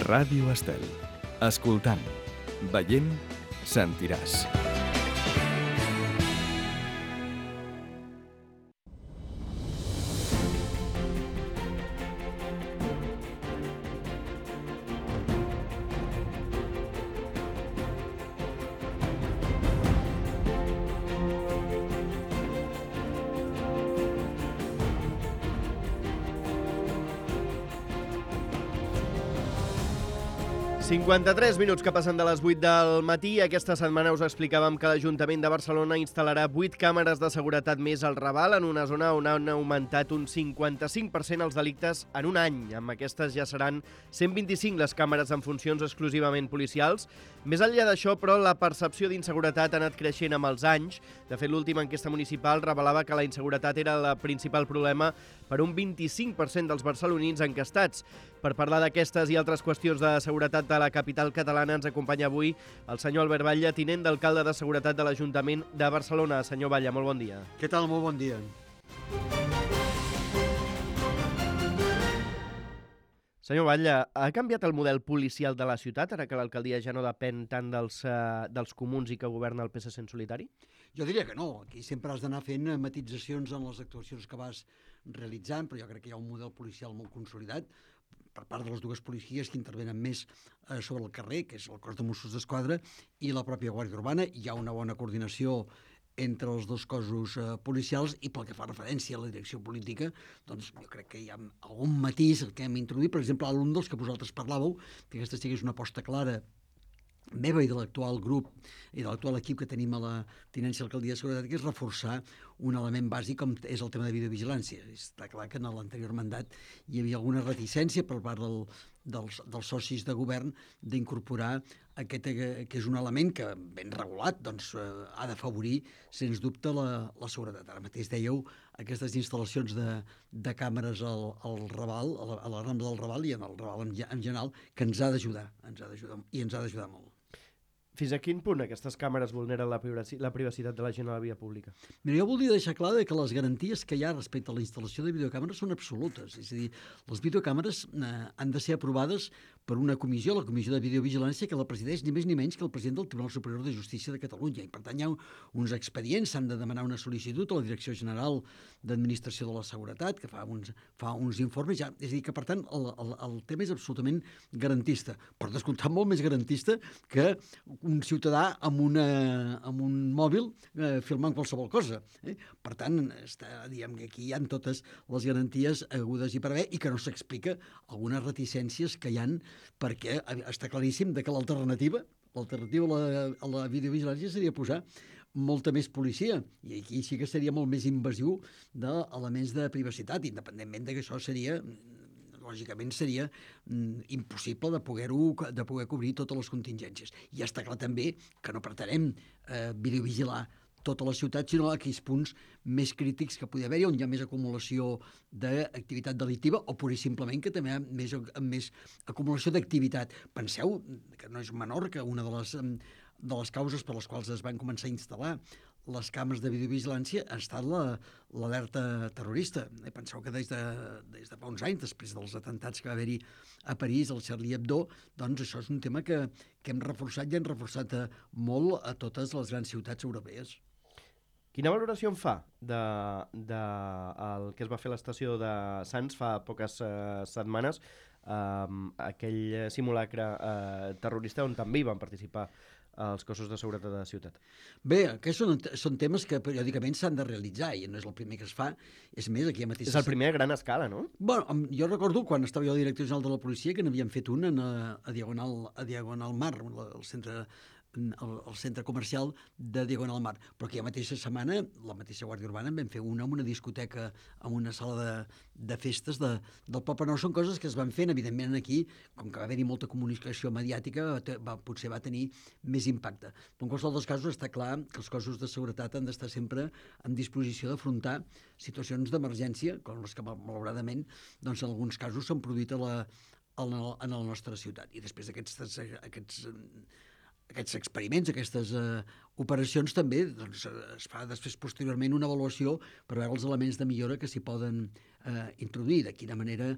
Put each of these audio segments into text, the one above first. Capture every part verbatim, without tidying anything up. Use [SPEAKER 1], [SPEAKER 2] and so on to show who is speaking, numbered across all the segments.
[SPEAKER 1] Ràdio Estel. Escoltant, veient, sentiràs.
[SPEAKER 2] cinquanta-tres minuts que passen de les vuit del matí. Aquesta setmana us explicàvem que l'Ajuntament de Barcelona instal·larà vuit càmeres de seguretat més al Raval, en una zona on han augmentat un cinquanta-cinc per cent els delictes en un any. Amb aquestes ja seran cent vint-i-cinc les càmeres en funcions exclusivament policials. Més enllà d'això, però, la percepció d'inseguretat ha anat creixent amb els anys. De fet, l'última enquesta municipal revelava que la inseguretat era el principal problema per un vint-i-cinc per cent dels barcelonins enquestats. Per parlar d'aquestes i altres qüestions de seguretat de la capital catalana ens acompanya avui el senyor Albert Batlle, tinent d'alcalde de Seguretat de l'Ajuntament de Barcelona. Senyor Batlle, molt bon dia.
[SPEAKER 3] Què tal? Molt bon dia.
[SPEAKER 2] Senyor Batlle, ha canviat el model policial de la ciutat ara que l'alcaldia ja no depèn tant dels, uh, dels comuns i que governa el P S C en solitari?
[SPEAKER 3] Jo diria que no. Aquí sempre has d'anar fent matitzacions en les actuacions que vas realitzant, però jo crec que hi ha un model policial molt consolidat per part de les dues policies que intervenen més eh, sobre el carrer, que és el cos de Mossos d'Esquadra i la pròpia Guàrdia Urbana. Hi ha una bona coordinació entre els dos cossos eh, policials i pel que fa referència a la direcció política, doncs jo crec que hi ha algun matís que hem introduït. Per exemple, un dels que vosaltres parlàveu, que aquesta sí que és una aposta clara meva i de l'actual grup i de l'actual equip que tenim a la Tinència d'Alcaldia de Seguretat, que és reforçar un element bàsic com és el tema de videovigilància. Està clar que en l'anterior mandat hi havia alguna reticència per part del, dels, dels socis de govern d'incorporar aquest, que és un element que, ben regulat, doncs, eh, ha d'afavorir, sens dubte, la, la seguretat. Ara mateix dèieu aquestes instal·lacions de, de càmeres al, al Raval, a la, a la Rambla del Raval i en el Raval en, en general, que ens ha d'ajudar, ens ha d'ajudar i ens ha d'ajudar molt.
[SPEAKER 2] Fins a quin punt aquestes càmeres vulneren la privacitat, la privacitat de la gent a la via pública?
[SPEAKER 3] Mira, jo voldria deixar clar que les garanties que hi ha respecte a la instal·lació de videocàmeres són absolutes. És a dir, les videocàmeres eh, han de ser aprovades per una comissió, la Comissió de Videovigilància, que la presideix ni més ni menys que el president del Tribunal Superior de Justícia de Catalunya. I per tant hi ha uns expedients, s'han de demanar una sol·licitud a la Direcció General d'Administració de la Seguretat, que fa uns, fa uns informes ja. És a dir, que per tant el, el, el tema és absolutament garantista, per descomptat molt més garantista que un ciutadà amb, una, amb un mòbil eh, filmant qualsevol cosa. Eh? Per tant, està, diguem que aquí hi ha totes les garanties agudes i per haver, i que no s'explica algunes reticències que hi han, perquè està claríssim de que l'alternativa, l'alternativa a la, a la videovigilància seria posar molta més policia, i aquí sí que seria molt més invasiu d'elements de privacitat, independentment de que això seria... lògicament seria mm, impossible de poder-ho de poder cobrir totes les contingències. I està clar també que no pretenem eh, videovigilar tota la ciutat, sinó aquells punts més crítics que pugui haver-hi, on hi ha més acumulació d'activitat delictiva o pur i simplement que també hi ha més, més acumulació d'activitat. Penseu que no és menor que una de les, de les causes per les quals es van començar a instal·lar les càmeres de videovigilància ha estat l'alerta la, terrorista. Penseu que des de, des de fa uns anys, després dels atentats que va haver-hi a París, al Charlie Hebdo, doncs això és un tema que, que hem reforçat i hem reforçat a, molt a totes les grans ciutats europees.
[SPEAKER 2] Quina valoració en fa de, de el que es va fer a l'estació de Sants fa poques uh, setmanes, uh, aquell simulacre uh, terrorista on també hi van participar els cossos de seguretat de la ciutat?
[SPEAKER 3] Bé, aquests són, són temes que periòdicament s'han de realitzar i no és el primer que es fa. És més, aquí mateix...
[SPEAKER 2] És el primer a gran escala, no?
[SPEAKER 3] Bueno, jo recordo quan estava jo director general de la policia que n'havíem fet un a, a, Diagonal, a Diagonal Mar, al centre al, al centre comercial de Diagonal Mar, però aquella mateixa setmana la mateixa Guàrdia Urbana en vam fer una amb una discoteca, amb una sala de, de festes de, del Poble Nou. Són coses que es van fent, evidentment aquí, com que va haver-hi molta comunicació mediàtica, va, potser va tenir més impacte. Però en qualsevol dels casos està clar que els cossos de seguretat han d'estar sempre en disposició d'afrontar situacions d'emergència, com les que malauradament doncs, en alguns casos s'han produït a la, en, el, en la nostra ciutat. I després d'aquests aquests aquests experiments, aquestes eh, operacions també doncs, es fa després posteriorment una avaluació per veure els elements de millora que s'hi poden eh, introduir, de quina manera,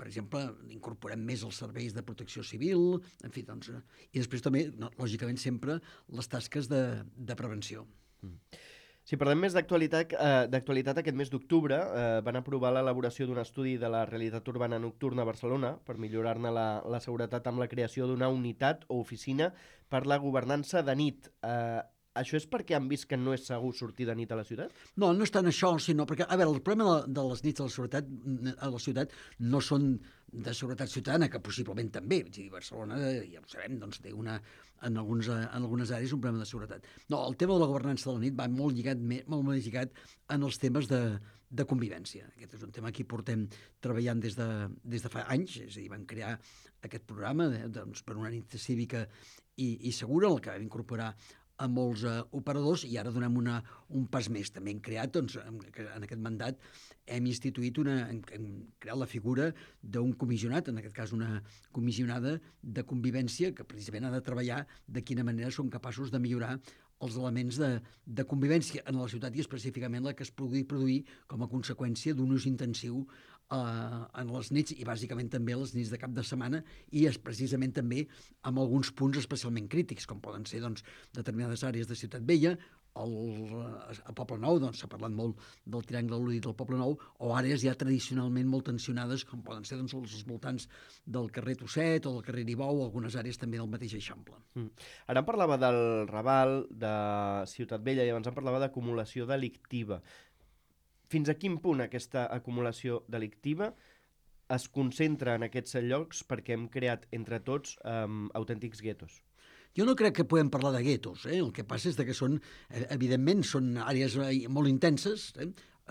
[SPEAKER 3] per exemple, incorporem més els serveis de protecció civil, en fi, doncs, i després també, no, lògicament, sempre les tasques de, de prevenció.
[SPEAKER 2] Mm. Si parlem més d'actualitat, eh, d'actualitat aquest mes d'octubre eh, van aprovar l'elaboració d'un estudi de la realitat urbana nocturna a Barcelona per millorar-ne la, la seguretat amb la creació d'una unitat o oficina per la governança de nit. Eh, Això és perquè han vist que no és segur sortir de nit a la ciutat?
[SPEAKER 3] No, no és tant això, sinó perquè, a veure, el problema de, de les nits a la ciutat, a la ciutat no són de seguretat ciutadana, que possiblement també. És a dir, Barcelona, ja ho sabem, doncs té una, en, alguns, en algunes àrees un problema de seguretat. No, el tema de la governança de la nit va molt lligat, molt, molt lligat en els temes de, de convivència. Aquest és un tema que hi portem treballant des de, des de fa anys, és a dir, vam crear aquest programa eh, doncs, per una nit cívica i, i segura, el que vam incorporar a molts uh, operadors, i ara donem una, un pas més. També hem creat, doncs, en, en aquest mandat, hem instituït una, hem, hem creat la figura d'un comissionat, en aquest cas una comissionada de convivència, que precisament ha de treballar de quina manera són capaços de millorar els elements de, de convivència en la ciutat i específicament la que es pugui produir com a conseqüència d'un ús intensiu Uh, en les nits i bàsicament també les nits de cap de setmana i és precisament també amb alguns punts especialment crítics, com poden ser doncs, determinades àrees de Ciutat Vella, el, a Poble Nou, doncs s'ha parlat molt del triangle al·ludit del Poble Nou, o àrees ja tradicionalment molt tensionades, com poden ser doncs, els voltants del carrer Tosset o del carrer Nibou, o algunes àrees també del mateix Eixample.
[SPEAKER 2] Mm. Ara em parlava del Raval, de Ciutat Vella, i abans em parlava d'acumulació delictiva. Fins a quin punt aquesta acumulació delictiva es concentra en aquests llocs perquè hem creat entre tots um, autèntics guetos?
[SPEAKER 3] Jo no crec que podem parlar de guetos, eh? El que passa és que són, evidentment, són àrees molt intenses, eh?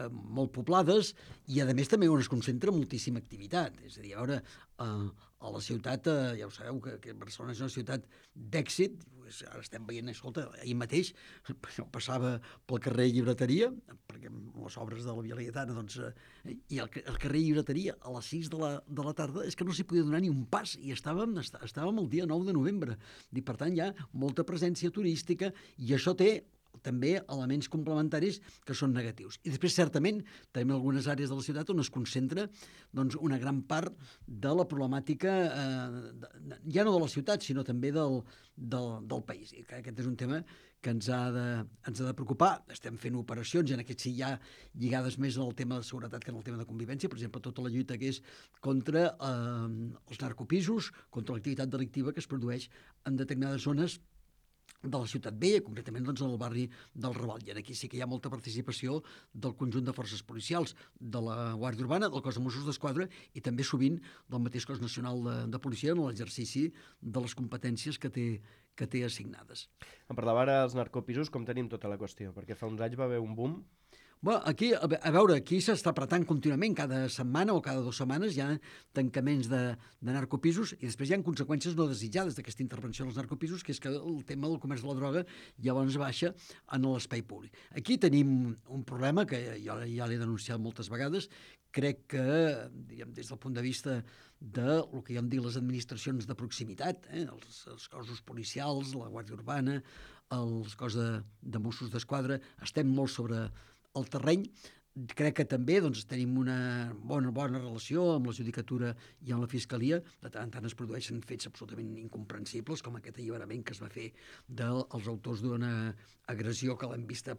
[SPEAKER 3] molt poblades, i a més també on es concentra moltíssima activitat. És a dir, a veure, a la ciutat, ja ho sabeu, que, que Barcelona és una ciutat d'èxit, ara estem veient, escolta, ahir mateix jo passava pel carrer Llibreteria, perquè les obres de la Via Laietana, doncs, i el, el carrer Llibreteria a les sis de la, de la tarda és que no s'hi podia donar ni un pas, i estàvem, estàvem el dia nou de novembre. I per tant hi ha molta presència turística, i això té també elements complementaris que són negatius. I després, certament, tenim algunes àrees de la ciutat on es concentra doncs, una gran part de la problemàtica, eh, de, ja no de la ciutat, sinó també del, del, del país. I aquest és un tema que ens ha, de, ens ha de preocupar. Estem fent operacions, i en aquest sí ja lligades més al tema de seguretat que en el tema de convivència, per exemple, tota la lluita que és contra eh, els narcopisos, contra l'activitat delictiva que es produeix en determinades zones de la Ciutat Vella, concretament doncs, en el barri del Raval. I aquí sí que hi ha molta participació del conjunt de forces policials, de la Guàrdia Urbana, del cos de Mossos d'Esquadra i també sovint del mateix cos nacional de, de policia en l'exercici de les competències que té, que té assignades.
[SPEAKER 2] Em parlava ara dels narcopisos, com tenim tota la qüestió, perquè fa uns anys va haver un boom.
[SPEAKER 3] Bueno, aquí, a veure, aquí s'està apretant contínuament, cada setmana o cada dues setmanes hi ha tancaments de, de narcopisos i després hi ha conseqüències no desitjades d'aquesta intervenció dels narcopisos, que és que el tema del comerç de la droga llavors baixa en l'espai públic. Aquí tenim un problema que jo ja l'he denunciat moltes vegades. Crec que, diguem, des del punt de vista de el que jo em dic les administracions de proximitat, eh, els, els cossos policials, la Guàrdia Urbana, els cos de, de Mossos d'Esquadra, estem molt sobre el terreny. Crec que també doncs, tenim una bona, bona relació amb la judicatura i amb la fiscalia. De tant en tant es produeixen fets absolutament incomprensibles, com aquest alliberament que es va fer dels autors d'una agressió que l'hem vista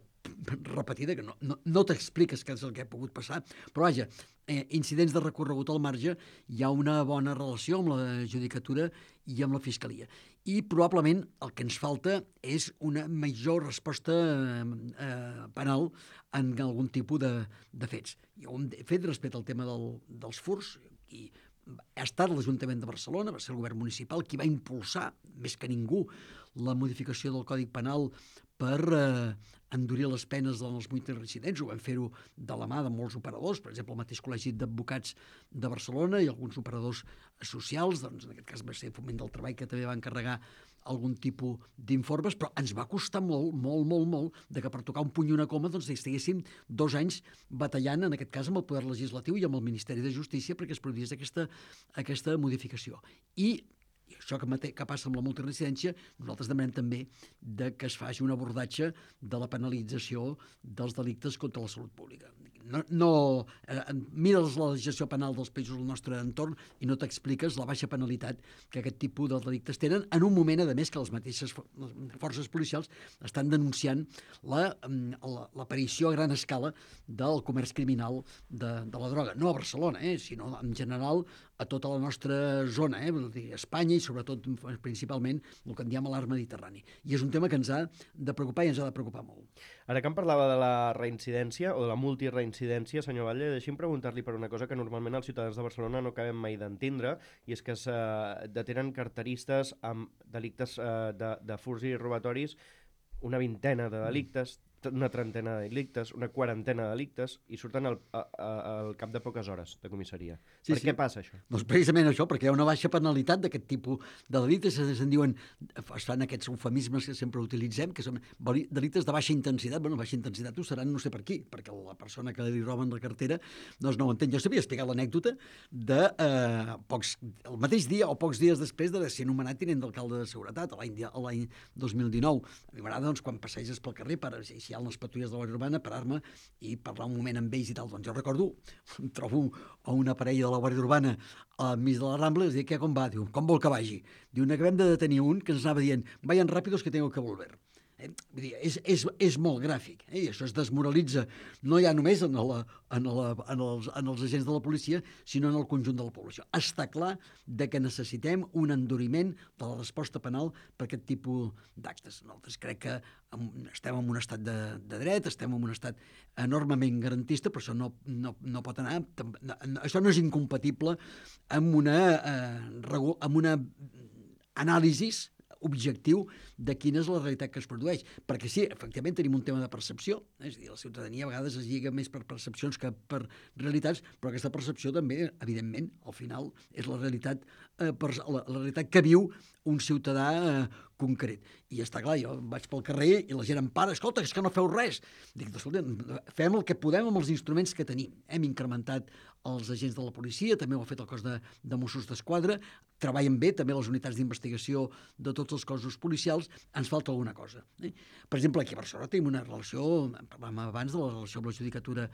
[SPEAKER 3] repetida, que no, no, no t'expliques què és el que ha pogut passar, però vaja, eh, incidents de recorregut al marge, hi ha una bona relació amb la judicatura i amb la fiscalia. I probablement el que ens falta és una major resposta eh, penal en algun tipus de, de fets. I un fet respecte al tema del, dels furts, i ha estat l'Ajuntament de Barcelona, va ser el govern municipal qui va impulsar, més que ningú, la modificació del Codi Penal per eh, endurir les penes dels multireincidents. Ho vam fer-ho de la mà de molts operadors, per exemple, el mateix Col·legi d'Advocats de Barcelona i alguns operadors socials, doncs en aquest cas va ser Foment del Treball, que també va encarregar algun tipus d'informes, però ens va costar molt, molt, molt, molt, de que per tocar un puny i una coma doncs estiguéssim dos anys batallant, en aquest cas amb el Poder Legislatiu i amb el Ministeri de Justícia, perquè es produís aquesta, aquesta modificació. I I això que, mate, que passa amb la multiresidència, nosaltres demanem també de que es faci un abordatge de la penalització dels delictes contra la salut pública. no, no eh, mires la legislació penal dels països del nostre entorn i no t'expliques la baixa penalitat que aquest tipus de delictes tenen en un moment, a més, que les mateixes forces policials estan denunciant l'aparició a gran escala del comerç criminal de, de la droga. No a Barcelona, eh, sinó en general a tota la nostra zona, eh, vull dir, Espanya i sobretot, principalment, el que en diem l'art mediterrani. I és un tema que ens ha de preocupar i ens ha de preocupar molt.
[SPEAKER 2] Ara que em parlava de la reincidència o de la multireincidència, senyor Batlle, deixi'm preguntar-li per una cosa que normalment els ciutadans de Barcelona no acabem mai d'entendre, i és que es eh, detenen carteristes amb delictes eh, de, de furts i robatoris, una vintena de delictes, una trentena de delictes, una quarantena de delictes, i surten al, a, a, al cap de poques hores de comissaria.
[SPEAKER 3] Sí,
[SPEAKER 2] per
[SPEAKER 3] sí.
[SPEAKER 2] què passa això?
[SPEAKER 3] Doncs precisament això, perquè hi ha una baixa penalitat d'aquest tipus de delictes, se'n diuen, es fan aquests eufemismes que sempre utilitzem, que són delictes de baixa intensitat. Bueno, baixa intensitat ho seran no sé per qui, perquè la persona que li roben la cartera doncs no ho entén. Jo sabia explicar l'anècdota de eh, pocs, el mateix dia o pocs dies després de ser nomenat tinent d'alcalde de seguretat, l'any dos mil dinou. A mi m'agrada, doncs, quan passeges pel carrer, per, si hi ha les patrulles de la Guàrdia Urbana, parar-me i parlar un moment amb ells i tal. Doncs jo recordo, em trobo a una parella de la Guàrdia Urbana al mig de la Rambla i els dic, què, com va? Diu, com vol que vagi? Diu, acabem de detenir un que ens anava dient, vayan rápidos que tengo que volver. Eh? Vull dir, és, és, és molt gràfic, eh? I això es desmoralitza no ja només en, la, en, la, en, els, en els agents de la policia, sinó en el conjunt de la població. Està clar de que necessitem un enduriment de la resposta penal per aquest tipus d'actes. Nosaltres crec que estem en un estat de, de dret, estem en un estat enormement garantista, però això no, no, no pot anar... Això no és incompatible amb una, eh, amb una anàlisi objectiu de quina és la realitat que es produeix. Perquè sí, efectivament tenim un tema de percepció, eh? És a dir, la ciutadania a vegades es lliga més per percepcions que per realitats, però aquesta percepció també, evidentment, al final és la realitat, eh, per, la, la realitat que viu un ciutadà eh, concret. I està clar, jo vaig pel carrer i la gent em para, escolta, és que no feu res. Dic, escolta, fem el que podem amb els instruments que tenim. Hem incrementat els agents de la policia, també ho ha fet el cos de, de Mossos d'Esquadra, treballen bé també les unitats d'investigació de tots els cossos policials, ens falta alguna cosa. Eh? Per exemple, aquí a Barcelona tenim una relació, parlàvem abans de la relació amb la judicatura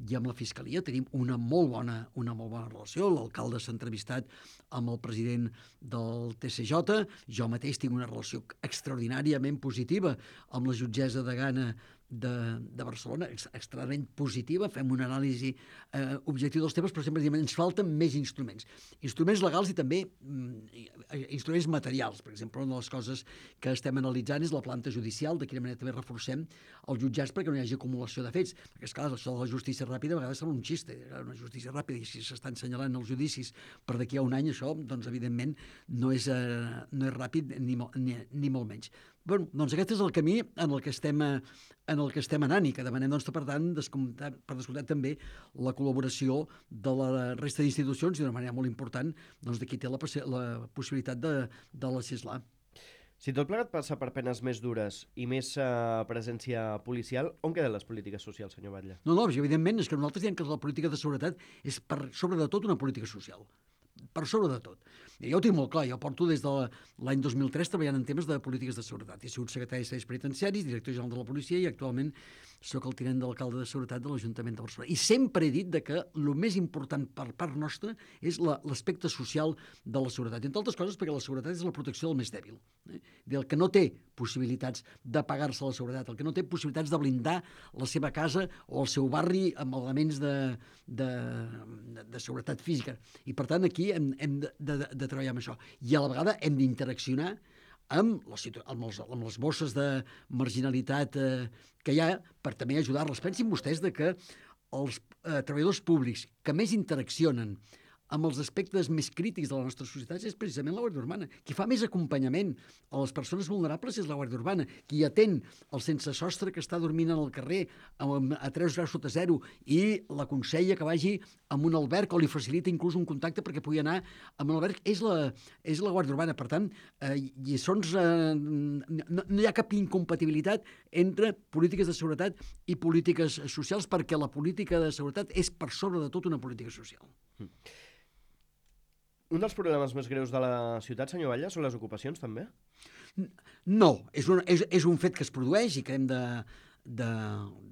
[SPEAKER 3] i amb la fiscalia, tenim una molt bona, una molt bona relació, l'alcalde s'ha entrevistat amb el president del T C J, jo mateix tinc una relació extraordinàriament positiva amb la jutgessa de Gana de, de Barcelona, extremadament positiva, fem una anàlisi eh, objectiu dels temes, però sempre diem, ens falten més instruments. Instruments legals i també mm, instruments materials. Per exemple, una de les coses que estem analitzant és la planta judicial, de quina manera també reforcem els jutjats perquè no hi hagi acumulació de fets. Perquè, esclar, això de la justícia ràpida a vegades sembla un xiste, una justícia ràpida, i si s'estan assenyalant els judicis per d'aquí a un any, això, doncs, evidentment, no és, eh, no és ràpid ni, ni, ni molt menys. Bé, doncs aquest és el camí en el que estem, en el que estem anant i que demanem, doncs, per tant, descomptat, per descomptat també la col·laboració de la resta d'institucions i d'una manera molt important doncs, de qui té la, la possibilitat de, de legislar.
[SPEAKER 2] Si tot plegat passa per penes més dures i més uh, presència policial, on queden les polítiques socials, senyor Batlle?
[SPEAKER 3] No, no, evidentment, és que nosaltres diem que la política de seguretat és per sobre de tot una política social. Per sobre de tot. I jo ho tinc molt clar, jo porto des de l'any dos mil tres treballant en temes de polítiques de seguretat. He sigut secretari de serveis penitenciaris, director general de la policia i actualment soc el tinent d'alcalde de seguretat de l'Ajuntament de Barcelona. I sempre he dit de que el més important per part nostra és l'aspecte social de la seguretat. I entre altres coses perquè la seguretat és la protecció del més dèbil. Eh? Del que no té possibilitats de pagar-se la seguretat, el que no té possibilitats de blindar la seva casa o el seu barri amb elements de, de, de, de seguretat física. I per tant aquí hem, hem de, de, de treballar amb això. I a la vegada hem d'interaccionar amb les, amb, els, amb les bosses de marginalitat eh, que hi ha per també ajudar-les. Pensin vostès de que els eh, treballadors públics que més interaccionen amb els aspectes més crítics de la nostra societat és precisament la Guàrdia Urbana. Qui fa més acompanyament a les persones vulnerables és la Guàrdia Urbana. Qui atén el sense sostre que està dormint al carrer a tres graus sota zero i l'aconsella que vagi a un alberg o li facilita inclús un contacte perquè pugui anar a un alberg és la, és la Guàrdia Urbana. Per tant, eh, lliçons, eh, no, no hi ha cap incompatibilitat entre polítiques de seguretat i polítiques socials perquè la política de seguretat és per sobre de tot una política social.
[SPEAKER 2] Mm. Un dels problemes més greus de la ciutat, senyor Batlle, són les ocupacions, també?
[SPEAKER 3] No, és un, és, és un fet que es produeix i que hem de, de,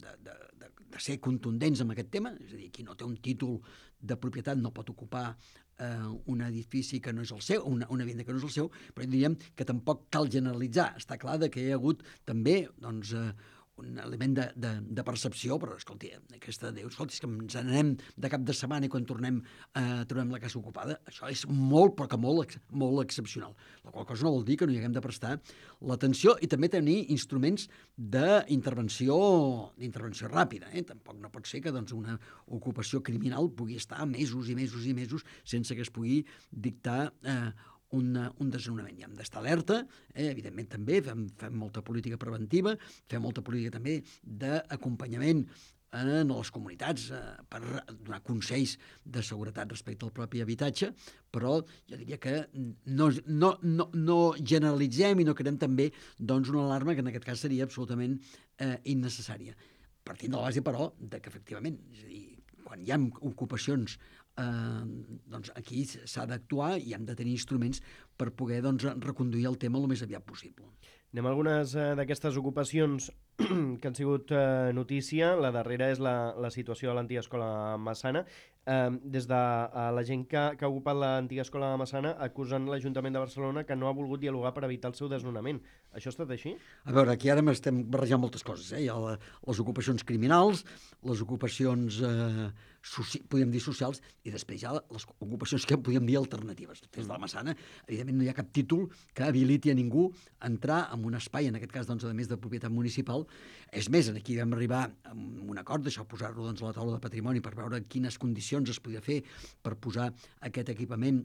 [SPEAKER 3] de, de, de ser contundents amb aquest tema, és a dir, qui no té un títol de propietat no pot ocupar eh, un edifici que no és el seu, una, una vivenda que no és el seu, però diríem que tampoc cal generalitzar. Està clar que hi ha hagut també doncs, eh, un element de, de, de percepció, però escolti, aquesta Déu, escolti, és que ens n'anem de cap de setmana i quan tornem eh, trobem la casa ocupada, això és molt, però que molt, molt excepcional. La qual cosa no vol dir que no hi haguem de prestar l'atenció i també tenir instruments d'intervenció d'intervenció ràpida. Eh? Tampoc no pot ser que doncs, una ocupació criminal pugui estar mesos i mesos i mesos sense que es pugui dictar eh, Un, un desnonament. I hem d'estar alerta, eh, evidentment també, fem, fem molta política preventiva, fem molta política també d'acompanyament en les comunitats eh, per donar consells de seguretat respecte al propi habitatge, però jo diria que no, no, no, no generalitzem i no creem també doncs, una alarma que en aquest cas seria absolutament eh, innecessària. Partint de la base, però, de que efectivament, és a dir, quan hi ha ocupacions eh, doncs aquí s'ha d'actuar i hem de tenir instruments per poder doncs, reconduir el tema el més aviat possible.
[SPEAKER 2] Anem a algunes eh, d'aquestes ocupacions que han sigut eh, notícia. La darrera és la, la situació de l'antiga escola Massana. Eh, des de eh, la gent que, que ha ocupat l'antiga escola Massana acusen l'Ajuntament de Barcelona que no ha volgut dialogar per evitar el seu desnonament. Això ha estat així?
[SPEAKER 3] A veure, aquí ara estem barrejant moltes coses. Eh? Hi ha la, les ocupacions criminals, les ocupacions, eh, soci, podríem dir, socials, i després hi ha les ocupacions que podríem dir alternatives. Des de la Massana, evidentment, no hi ha cap títol que habiliti a ningú a entrar en un espai, en aquest cas, doncs, a més de propietat municipal. És més, aquí vam arribar a un acord, d'això posar-lo doncs, a la taula de patrimoni per veure quines condicions es podia fer per posar aquest equipament.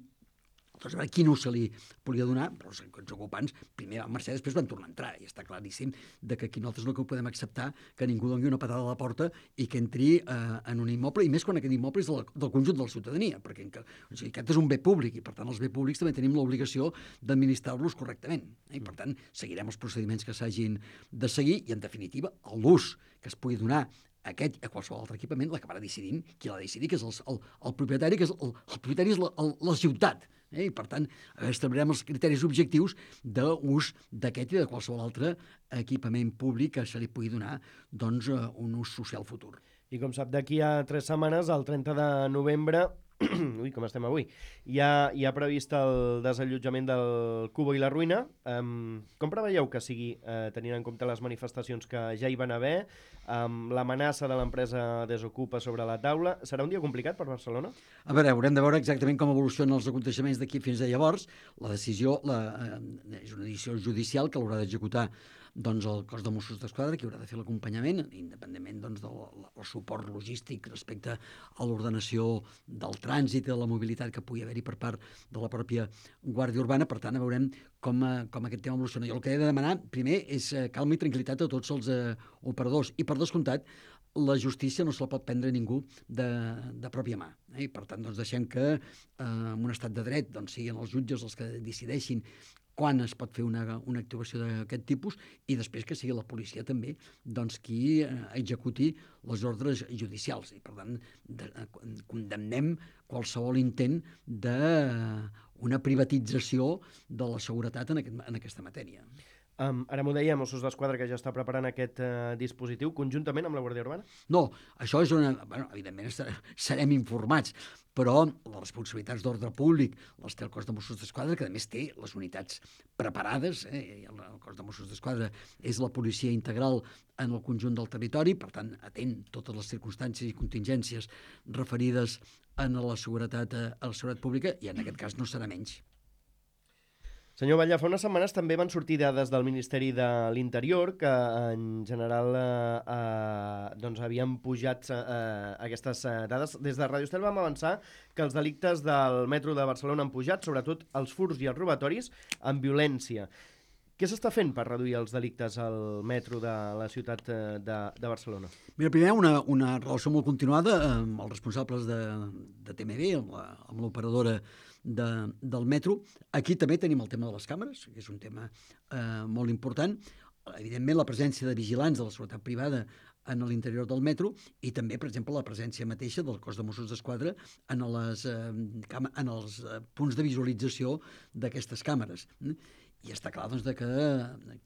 [SPEAKER 3] Doncs a veure quin ús se li podia donar, però els ocupants primer van marxar, després van tornar a entrar, i està claríssim de que aquí nosaltres no que podem acceptar que ningú doni una patada a la porta i que entri eh, en un immoble, i més quan aquest immoble és del, del conjunt de la ciutadania, perquè en, o sigui, aquest és un bé públic, i per tant els bé públics també tenim l'obligació d'administrar-los correctament, eh? I per tant seguirem els procediments que s'hagin de seguir, i en definitiva l'ús que es pugui donar aquest a qualsevol altre equipament l'acabarà decidint qui l'ha de decidir, que és el, el, el propietari, que és el, el propietari és la, el, la ciutat. Eh? I per tant establirem els criteris objectius d'ús d'aquest i de qualsevol altre equipament públic que se li pugui donar doncs, un ús social futur.
[SPEAKER 2] I com sap, d'aquí a tres setmanes, el trenta de novembre, ui, com estem avui, hi ha, hi ha previst el desallotjament del Cubo i la Ruïna. Um, com preveieu que sigui, uh, tenint en compte les manifestacions que ja hi van haver, um, l'amenaça de l'empresa Desocupa sobre la taula? Serà un dia complicat per Barcelona?
[SPEAKER 3] A veure, haurem de veure exactament com evolucionen els aconteixements d'aquí fins a llavors. La decisió la, eh, és una decisió judicial que l'haurà d'executar doncs, el cos de Mossos d'Esquadra, que haurà de fer l'acompanyament, independentment doncs, del, del suport logístic respecte a l'ordenació del trànsit i de la mobilitat que pugui haver-hi per part de la pròpia Guàrdia Urbana. Per tant, veurem com, com aquest tema evoluciona. Jo el que he de demanar, primer, és calma i tranquil·litat a tots els eh, operadors. I, per descomptat, la justícia no se la pot prendre ningú de, de pròpia mà. Eh? I, per tant, doncs, deixem que eh, en un estat de dret doncs, siguin els jutges els que decideixin quan es pot fer una, una actuació d'aquest tipus, i després que sigui la policia també doncs, qui eh, executi les ordres judicials. I, per tant, de, eh, condemnem qualsevol intent d'una privatització de la seguretat en, aquest, en aquesta matèria.
[SPEAKER 2] Um, ara m'ho deia Mossos d'Esquadra, que ja està preparant aquest uh, dispositiu, conjuntament amb la Guàrdia Urbana?
[SPEAKER 3] No, això és una... Bueno, evidentment serem informats, però les responsabilitats d'ordre públic les té el cos de Mossos d'Esquadra, que a més té les unitats preparades. Eh? El cos de Mossos d'Esquadra és la policia integral en el conjunt del territori, per tant, atén totes les circumstàncies i contingències referides a la seguretat, a la seguretat pública, i en aquest cas no serà menys.
[SPEAKER 2] Senyor Batlle, fa unes setmanes també van sortir dades del Ministeri de l'Interior que en general eh, eh, doncs havien pujat eh, aquestes eh, dades. Des de Radio Estel vam avançar que els delictes del metro de Barcelona han pujat, sobretot els furts i els robatoris amb violència. Què s'està fent per reduir els delictes al metro de la ciutat de, de Barcelona?
[SPEAKER 3] Mira, primer una, una relació molt continuada amb els responsables de, de T M B, amb l'operadora de, del metro. Aquí també tenim el tema de les càmeres, que és un tema eh, molt important. Evidentment, la presència de vigilants de la seguretat privada en l'interior del metro, i també, per exemple, la presència mateixa del cos de Mossos d'Esquadra en, les, eh, en els eh, punts de visualització d'aquestes càmeres. I està clar doncs, de que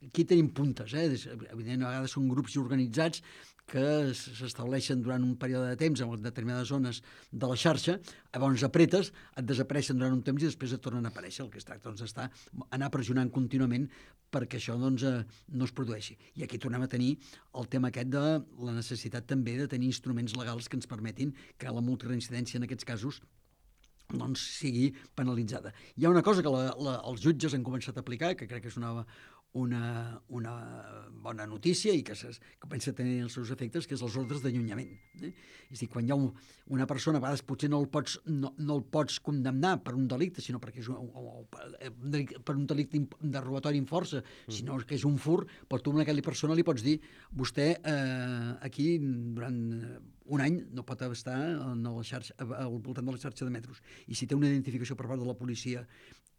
[SPEAKER 3] aquí tenim puntes. Eh? Evidentment, a vegades són grups organitzats que s'estableixen durant un període de temps en determinades zones de la xarxa, llavors apretes, et desapareixen durant un temps i després et tornen a aparèixer. El que es tracta doncs, està anar pressionant contínuament perquè això doncs, no es produeixi. I aquí tornem a tenir el tema aquest de la necessitat també de tenir instruments legals que ens permetin que la multireincidència en aquests casos doncs, sigui penalitzada. Hi ha una cosa que la, la, els jutges han començat a aplicar, que crec que és una, una, una bona notícia i que, ses, que pensa tenir els seus efectes, que és els ordres d'allunyament. Eh? És a dir, quan hi ha un, una persona, a vegades potser no el pots, no, no el pots condemnar per un delicte, sinó perquè és un, o, per un delicte de robatori amb força, mm. sinó que és un fur, però tu a aquella persona li pots dir vostè eh, aquí durant un any no pot estar en la xarxa, al voltant de la xarxa de metros. I si té una identificació per part de la policia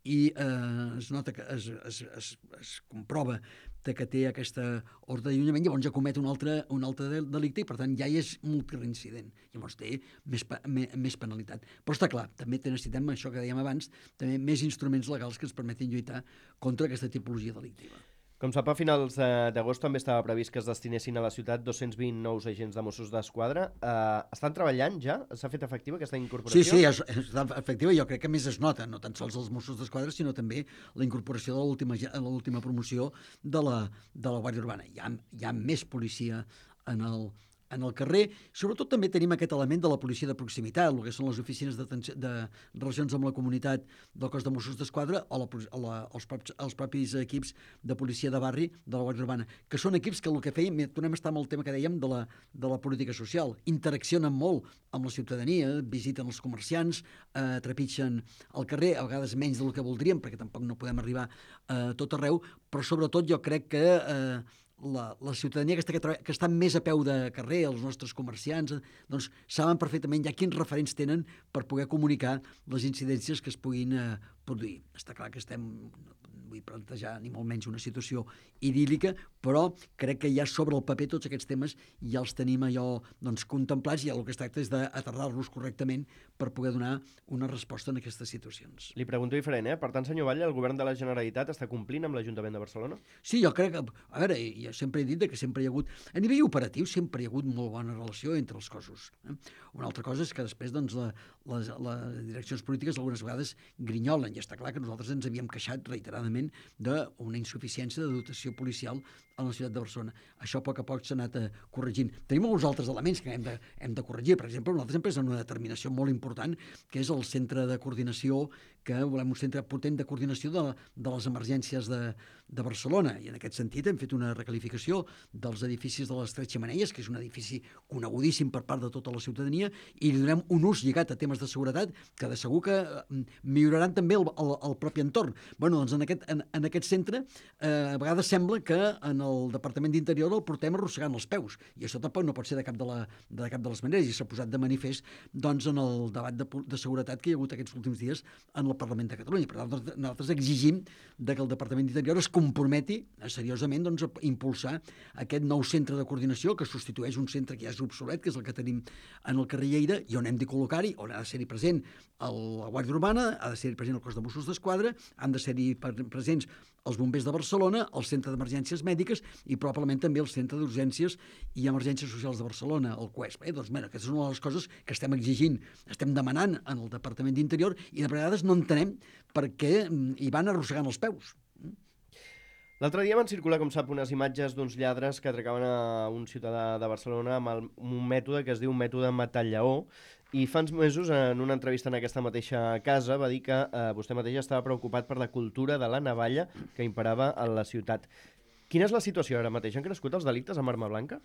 [SPEAKER 3] i eh, es nota que es, es, es, es comprova que té aquesta ordre d'allunyament, llavors ja comet un altre, un altre delicte i per tant ja és multireincident. Llavors té més, més, més penalitat. Però està clar, també necessitem, això que dèiem abans, també més instruments legals que ens permetin lluitar contra aquesta tipologia delictiva.
[SPEAKER 2] Com sap, a finals d'agost també estava previst que es destinessin a la ciutat dos-cents vint nous agents de Mossos d'Esquadra. Uh, estan treballant ja? S'ha fet efectiva aquesta incorporació?
[SPEAKER 3] Sí, sí, és, és efectiva. Jo crec que més es nota, no tan sols els Mossos d'Esquadra, sinó també la incorporació de l'última promoció de la, de la Guàrdia Urbana. Hi ha, hi ha més policia en el, en el carrer. Sobretot també tenim aquest element de la policia de proximitat, el que són les oficines de, de relacions amb la comunitat del cos de Mossos d'Esquadra o la, o la, els, propis, els propis equips de policia de barri de la Guàrdia Urbana, que són equips que el que feien, tornem a estar amb el tema que dèiem de la, de la política social, interaccionen molt amb la ciutadania, visiten els comerciants, eh, trepitgen el carrer, a vegades menys del que voldríem, perquè tampoc no podem arribar a eh, tot arreu, però sobretot jo crec que eh, La, la ciutadania que està, que està més a peu de carrer, els nostres comerciants, doncs saben perfectament ja quins referents tenen per poder comunicar les incidències que es puguin eh, produir. Està clar que estem, no vull plantejar ni molt menys una situació idíl·lica, però crec que ja sobre el paper tots aquests temes ja els tenim allò doncs, contemplats i el que es tracta és d'aterrar-los correctament per poder donar una resposta en aquestes situacions.
[SPEAKER 2] Li pregunto diferent, eh? Per tant, senyor Batlle, el govern de la Generalitat està complint amb l'Ajuntament de Barcelona?
[SPEAKER 3] Sí, jo crec que, a veure, jo sempre he dit que sempre hi ha hagut, a nivell operatiu sempre hi ha hagut molt bona relació entre els cossos. Eh? Una altra cosa és que després doncs, la, les, les direccions polítiques algunes vegades grinyolen, i està clar que nosaltres ens havíem queixat reiteradament d'una insuficiència de dotació policial a la ciutat de Barcelona. Això a poc a poc s'ha anat corregint. Tenim alguns altres elements que hem de, hem de corregir. Per exemple, nosaltres hem pres una determinació molt important, que és el centre de coordinació, que volem un centre potent de coordinació de, de les emergències de, de Barcelona. I en aquest sentit hem fet una recalificació dels edificis de les Tres Xemeneies, que és un edifici conegudíssim per part de tota la ciutadania, i li donem un ús lligat a temes de seguretat que de segur que milloraran també el, el, el propi entorn. Bueno, doncs en aquest, en, en aquest centre eh, a vegades sembla que en el Departament d'Interior el portem arrossegant els peus, i això tampoc no pot ser de cap de, la, de cap de les maneres, i s'ha posat de manifest doncs, en el debat de, de seguretat que hi ha hagut aquests últims dies en el Parlament de Catalunya. Per tant, nosaltres exigim de que el Departament d'Interior es comprometi seriosament doncs, a impulsar aquest nou centre de coordinació que substitueix un centre que ja és obsolet, que és el que tenim en el carrer Lleida, i on hem de col·locar-hi, on ha de ser-hi present la Guàrdia Urbana, ha de ser-hi present el cos de Mossos d'Esquadra, han de ser-hi presents els bombers de Barcelona, el centre d'emergències mèdiques i probablement també el centre d'urgències i emergències socials de Barcelona, el C U E S. Bé, doncs, mira, aquestes són una de les coses que estem exigint, estem demanant en el Departament d'Interior i de vegades no entenem per què hi van arrossegant els peus.
[SPEAKER 2] L'altre dia van circular, com sap, unes imatges d'uns lladres que atracaven a un ciutadà de Barcelona amb el, un mètode que es diu mètode matall-lleó, i fa uns mesos, en una entrevista en aquesta mateixa casa, va dir que eh, vostè mateix estava preocupat per la cultura de la navalla que imperava a la ciutat. Quina és la situació ara mateix? Han crescut els delictes amb arma blanca?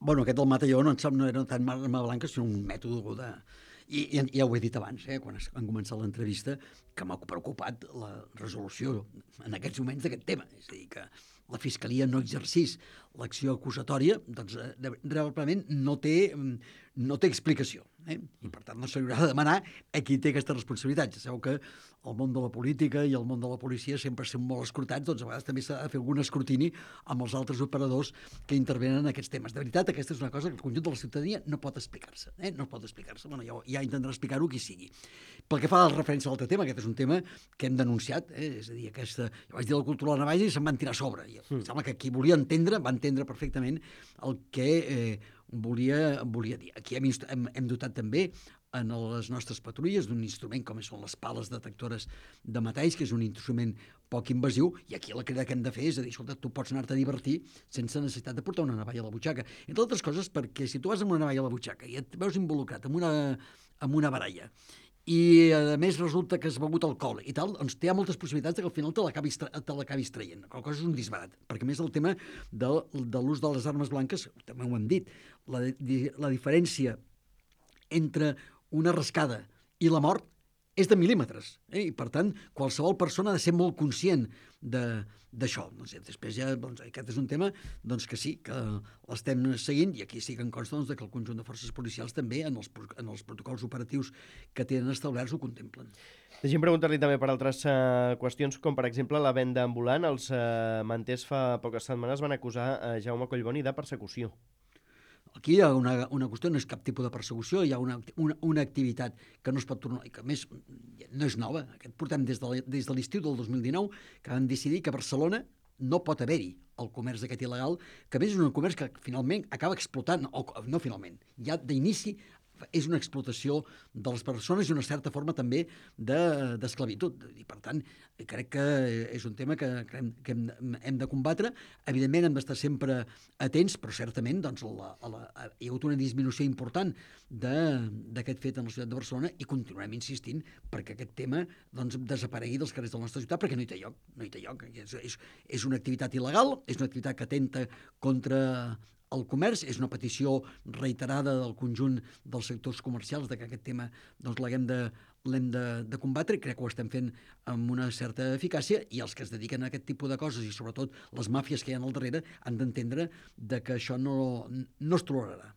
[SPEAKER 3] Bueno, aquest del matall-lleó no, no era tant arma blanca, sinó un mètode de... I, i ja ho he dit abans, eh, quan han començat l'entrevista, que m'ha preocupat la resolució en aquests moments d'aquest tema. És a dir, que la Fiscalia no exercís l'acció acusatòria, doncs eh, realment no té, no té explicació. Eh? I per tant no se li haurà de demanar a qui té aquesta responsabilitat. Ja sabeu que el món de la política i el món de la policia sempre són molt escrutats, doncs a vegades també s'ha de fer algun escrutini amb els altres operadors que intervenen en aquests temes. De veritat, aquesta és una cosa que el conjunt de la ciutadania no pot explicar-se. Eh? No pot explicar-se. Bueno, ja, ja intentarà explicar-ho qui sigui. Pel que fa a la referència a l'altre tema, aquest és un tema que hem denunciat, eh? És a dir, aquesta, jo vaig dir la cultura de la navalla i se'n van tirar a sobre. I em sembla que qui volia entendre va entendre perfectament el que eh, volia, volia dir. Aquí hem, hem, hem dotat també en les nostres patrulles d'un instrument com són les pales detectores de metalls, que és un instrument poc invasiu, i aquí la crida que hem de fer és a dir, escolta, tu pots anar-te a divertir sense necessitat de portar una navalla a la butxaca. Entre altres coses perquè si tu vas amb una navalla a la butxaca i et veus involucrat en una, en una baralla i a més resulta que has begut alcohol i tal, doncs hi ha moltes possibilitats que al final te l'acabis tra traient. Qual cosa és un disbarat, perquè més el tema de, de l'ús de les armes blanques, també ho hem dit, la, la diferència entre una rascada i la mort és de mil·límetres, eh? I per tant qualsevol persona ha de ser molt conscient d'això. Doncs, després ja, doncs, aquest és un tema doncs, que sí, que l'estem seguint, i aquí sí que em consta doncs, que el conjunt de forces policials també en els, en els protocols operatius que tenen establerts ho contemplen.
[SPEAKER 2] Deixem preguntar-li també per altres uh, qüestions, com per exemple la venda ambulant. Els uh, manters fa poques setmanes van acusar uh, Jaume Collboni de persecució.
[SPEAKER 3] Aquí hi ha una, una qüestió, no és cap tipus de persecució, hi ha una, una, una activitat que no es pot tornar, i que a més no és nova. Aquest portem des de, des de l'estiu del dos mil dinou, que van decidir que a Barcelona no pot haver-hi el comerç aquest il·legal, que a més és un comerç que finalment acaba explotant, o no finalment, ja d'inici és una explotació de les persones i una certa forma també d'esclavitud. De, I per tant, crec que és un tema que, que, hem, que hem, hem de combatre. Evidentment hem d'estar sempre atents, però certament doncs, la, la, hi ha hagut una disminució important d'aquest fet en la ciutat de Barcelona i continuarem insistint perquè aquest tema doncs, desaparegui dels carrers de la nostra ciutat, perquè no hi té lloc. No hi té lloc. És, és, és una activitat il·legal, és una activitat que atenta contra el comerç, és una petició reiterada del conjunt dels sectors comercials de que aquest tema doncs, l'hem de, de, de combatre, i crec que ho estem fent amb una certa eficàcia, i els que es dediquen a aquest tipus de coses, i sobretot les màfies que hi ha al darrere, han d'entendre que això no, no es tolerarà.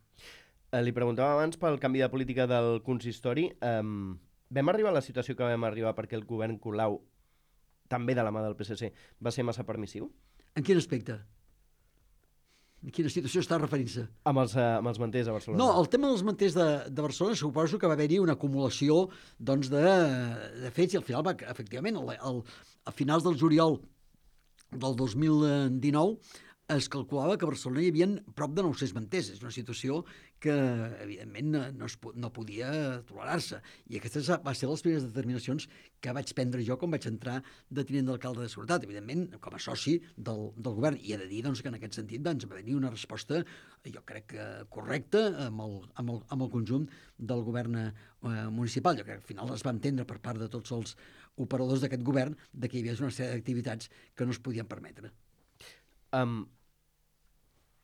[SPEAKER 2] Eh, li preguntava abans pel canvi de política del consistori. Um, vam arribar a la situació que vam arribar perquè el govern Colau, també de la mà del P S C, va ser massa permissiu?
[SPEAKER 3] En quin aspecte? En quina situació està referint-se?
[SPEAKER 2] Amb els, uh, amb els manters a Barcelona.
[SPEAKER 3] No, el tema dels manters de, de Barcelona suposo que va haver-hi una acumulació doncs, de, de fets, i al final, va, efectivament, al, al, a finals del juliol del dos mil dinou es calculava que a Barcelona hi havia prop de nou-cents manters. És una situació que, evidentment, no, es, no podia tolerar-se. I aquestes va ser les primeres determinacions que vaig prendre jo quan vaig entrar de tinent d'alcalde de Seguretat, evidentment, com a soci del, del govern. I he de dir doncs, que en aquest sentit doncs, va venir una resposta, jo crec que correcta, amb el, amb el, amb el conjunt del govern eh, municipal. Jo crec que al final es va entendre per part de tots els operadors d'aquest govern de que hi havia una sèrie d'activitats que no es podien permetre.
[SPEAKER 2] Um,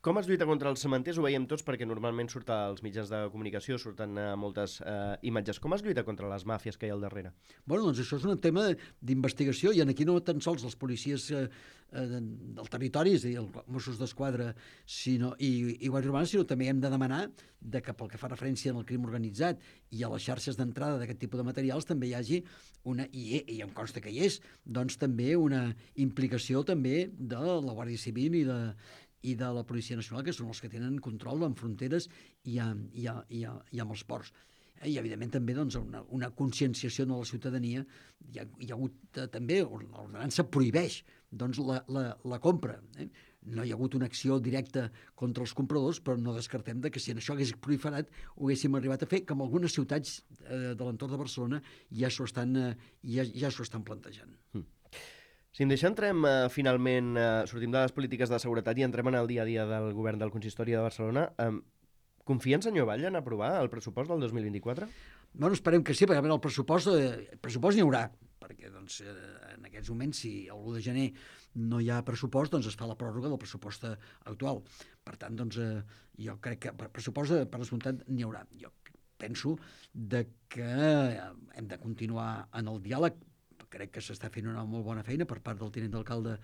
[SPEAKER 2] com es lluita contra els cementers? Ho veiem tots perquè normalment surt als mitjans de comunicació, surten uh, moltes uh, imatges. Com es lluita contra les màfies que hi ha al darrere?
[SPEAKER 3] Bueno, doncs això és un tema d'investigació, i aquí no tan sols els policies eh, eh, del territori, és a dir, els Mossos d'Esquadra sinó, i, i Guàrdia Urbana, sinó també hem de demanar de que pel que fa referència al crim organitzat i a les xarxes d'entrada d'aquest tipus de materials també hi hagi una, i, i em consta que hi és, doncs també una implicació també de la Guàrdia Civil i de i de la Policia Nacional, que són els que tenen control en fronteres i, a, i, a, i, a, i amb els ports. I, evidentment, també doncs, una, una conscienciació de la ciutadania. Hi ha, hi ha hagut eh, també, l'ordenança prohibeix doncs, la, la, la compra. Eh? No hi ha hagut una acció directa contra els compradors, però no descartem de que si en això hagués proliferat ho haguéssim arribat a fer, que en algunes ciutats eh, de l'entorn de Barcelona ja s'ho estan, eh, ja, ja s'ho estan plantejant.
[SPEAKER 2] Mm. Si em deixa, entrem uh, finalment, uh, sortim de les polítiques de seguretat i entrem en el dia a dia del govern del Consistori de Barcelona. Um, confia en senyor Batlle en aprovar el pressupost del dos mil vint-i-quatre?
[SPEAKER 3] Bueno, esperem que sí, perquè el pressupost, eh, pressupost n'hi haurà, perquè doncs, eh, en aquests moments, si l'u de gener no hi ha pressupost, doncs es fa la pròrroga del pressupost actual. Per tant, doncs, eh, jo crec que per pressupost, per descomptat, n'hi haurà. Jo penso de que hem de continuar en el diàleg, crec que s'està fent una molt bona feina per part del tinent d'alcalde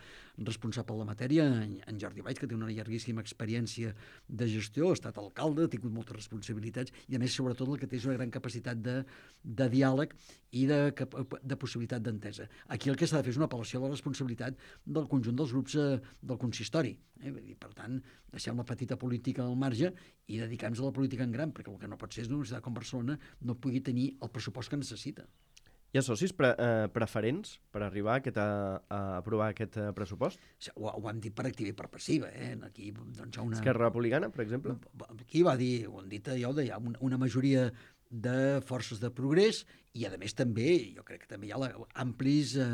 [SPEAKER 3] responsable de la matèria, en Jordi Valls, que té una llarguíssima experiència de gestió, ha estat alcalde, ha tingut moltes responsabilitats i, a més, sobretot, el que té és una gran capacitat de, de diàleg i de, de possibilitat d'entesa. Aquí el que s'ha de fer és una apel·lació a la responsabilitat del conjunt dels grups eh, del consistori. Eh? Per tant, deixem la petita política al marge i dedicar-nos a la política en gran, perquè el que no pot ser és una universitat com Barcelona no pugui tenir el pressupost que necessita.
[SPEAKER 2] Hi ha socis pre eh, preferents per arribar a, aquest, a, a aprovar aquest eh, pressupost?
[SPEAKER 3] Ho, ho hem dit per activa i per passiva. Eh? Aquí, doncs, hi ha una...
[SPEAKER 2] Esquerra Republicana, per exemple?
[SPEAKER 3] Aquí va dir, ho han dit, ja ho deia, una, una majoria de forces de progrés i, a més, també, jo crec que també hi ha la, amplis eh,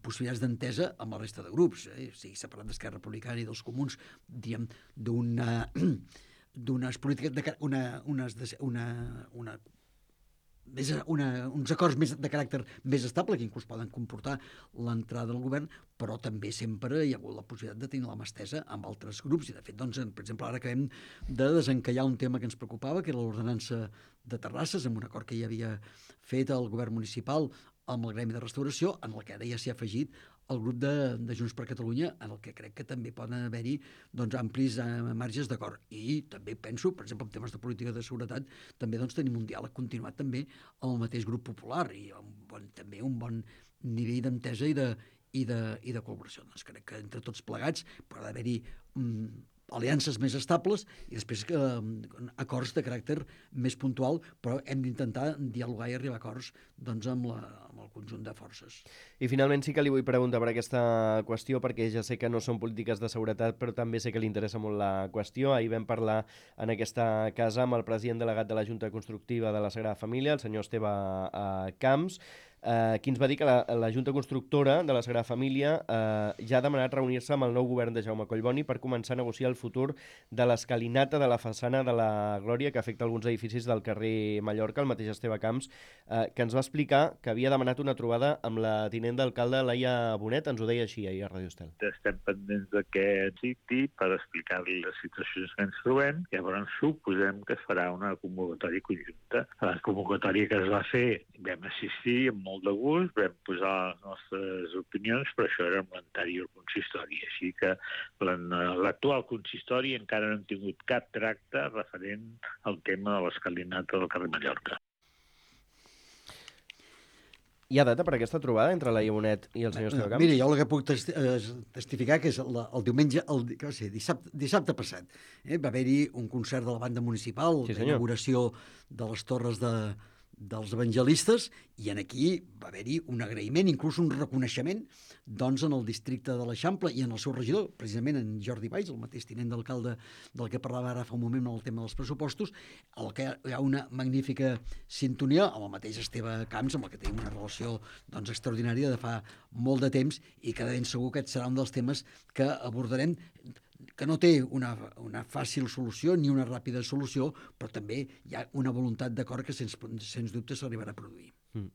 [SPEAKER 3] possibilitats d'entesa amb la resta de grups. Eh? O sigui, s'ha parlat d'Esquerra Republicana i dels comuns, diguem, d'una d'unes polítiques, de, una, unes, una, una Més una, uns acords més de caràcter més estable que inclús poden comportar l'entrada del govern, però també sempre hi ha hagut la possibilitat de tenir la mà estesa amb altres grups. I, de fet, doncs, per exemple, ara acabem de desencallar un tema que ens preocupava, que era l'ordenança de terrasses, amb un acord que hi havia fet el govern municipal amb el Gremi de Restauració, en el que ara ja s'hi ha afegit el grup de, de Junts per Catalunya, en el que crec que també poden haver-hi doncs, amplis eh, marges d'acord. I també penso, per exemple, en temes de política de seguretat, també doncs, tenim un diàleg continuat també amb el mateix grup popular i un bon, també un bon nivell d'entesa i de, i de, i de col·laboració. Doncs crec que entre tots plegats pot haver-hi mm, aliances més estables i després eh, acords de caràcter més puntual, però hem d'intentar dialogar i arribar a acords doncs, amb, la, amb el conjunt de forces.
[SPEAKER 2] I finalment sí que li vull preguntar per aquesta qüestió, perquè ja sé que no són polítiques de seguretat, però també sé que li interessa molt la qüestió. Ahir vam parlar en aquesta casa amb el president delegat de la Junta Constructiva de la Sagrada Família, el senyor Esteve eh, Camps, eh, qui ens va dir que la, la Junta Constructora de la Sagrada Família eh, ja ha demanat reunir-se amb el nou govern de Jaume Collboni per començar a negociar el futur de l'escalinata de la façana de la Glòria que afecta alguns edificis del carrer Mallorca. El mateix Esteve Camps, eh, que ens va explicar que havia demanat una trobada amb la tinent d'alcalde Laia Bonet. Ens ho deia així ahir a Radio Estel.
[SPEAKER 4] Estem pendents d'aquest sitio per explicar-li les situacions que ens trobem. Llavors suposem que es farà una convocatòria conjunta. A la convocatòria que es va fer vam assistir amb molt de gust, vam posar les nostres opinions, però això era amb l'anterior consistori. Així que l'actual consistori encara no hem tingut cap tracte referent al tema de l'escalinata del carrer Mallorca.
[SPEAKER 2] Hi ha data per aquesta trobada entre Laia Bonet i el senyor Esteve Camps?
[SPEAKER 3] Mira, jo el que puc testi testificar que és la, el diumenge, el, què va ser, dissabte, dissabte passat, eh, va haver-hi un concert de la banda municipal,
[SPEAKER 2] sí,
[SPEAKER 3] d'inauguració de les torres de, dels evangelistes, i en aquí va haver-hi un agraïment, inclús un reconeixement, doncs en el districte de l'Eixample i en el seu regidor, precisament en Jordi Valls, el mateix tinent d'alcalde del que parlava ara fa un moment amb el tema dels pressupostos, el que hi ha una magnífica sintonia amb el mateix Esteve Camps, amb el que tenim una relació doncs, extraordinària de fa molt de temps, i que de ben segur que serà un dels temes que abordarem, que no té una, una fàcil solució ni una ràpida solució, però també hi ha una voluntat d'acord que sens, sens dubte s'arribarà a produir.
[SPEAKER 2] Mm.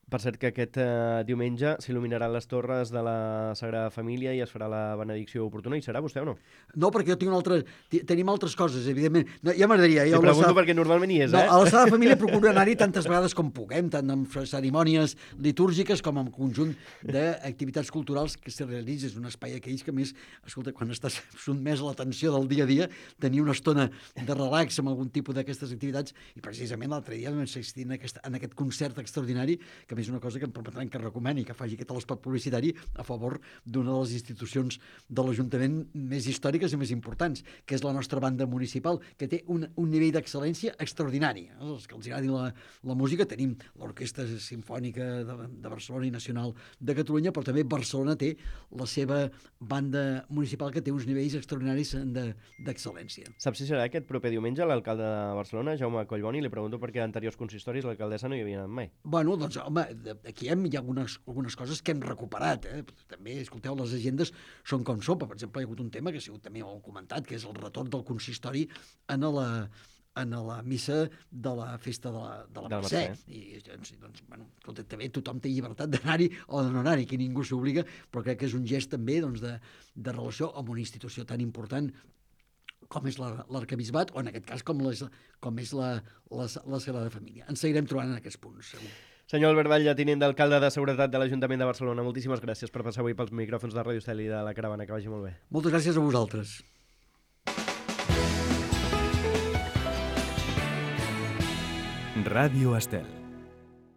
[SPEAKER 2] Per cert, que aquest eh, diumenge s'il·luminaran les torres de la Sagrada Família i es farà la benedicció oportuna. Hi serà vostè o no?
[SPEAKER 3] No, perquè jo tinc una altra... Tenim altres coses, evidentment. No, ja m'agradaria.
[SPEAKER 2] Li pregunto Sala... perquè normalment hi és,
[SPEAKER 3] no,
[SPEAKER 2] eh?
[SPEAKER 3] A la Sagrada Família procuro anar-hi tantes vegades com puguem, tant amb cerimònies litúrgiques com amb conjunt d'activitats culturals que se realitzen. És un espai aquells que, més, escolta, quan estàs sotmès a l'atenció del dia a dia, tenir una estona de relax amb algun tipus d'aquestes activitats, i precisament l'altre dia vam assistir en aquest, en aquest concert extraordinari, que a més una cosa que em permetran que recomani, que faci aquest espot publicitari a favor d'una de les institucions de l'Ajuntament més històriques i més importants, que és la nostra banda municipal, que té un, un nivell d'excel·lència extraordinari. Els que els agradi la, la música, tenim l'Orquestra Simfònica de, de Barcelona i Nacional de Catalunya, però també Barcelona té la seva banda municipal que té uns nivells extraordinaris d'excel·lència.
[SPEAKER 2] Saps si serà aquest proper diumenge l'alcalde de Barcelona, Jaume Collboni? Li pregunto perquè a anteriors consistoris l'alcaldessa no hi havia anat mai.
[SPEAKER 3] Bueno, doncs, home, aquí hem, hi ha algunes, algunes coses que hem recuperat. Eh? També, escolteu, les agendes són com sopa. Per exemple, hi ha hagut un tema que ha sigut també molt comentat, que és el retorn del consistori en la, en la missa de la festa de la, de la Mercè. I doncs, doncs bueno, escolta, també tothom té llibertat d'anar-hi o de no anar-hi, que ningú s'obliga, però crec que és un gest també doncs, de, de relació amb una institució tan important com és l'Arquebisbat, o en aquest cas com, les, com és la, la, la Sagrada Família. Ens seguirem trobant en aquests punts, segur.
[SPEAKER 2] Senyor Albert Batlle, tinent d'alcalde de Seguretat de l'Ajuntament de Barcelona, moltíssimes gràcies per passar avui pels micròfons de Ràdio Estel i de la Caravana. Que vagi molt bé.
[SPEAKER 3] Moltes gràcies a vosaltres.
[SPEAKER 1] Ràdio Estel.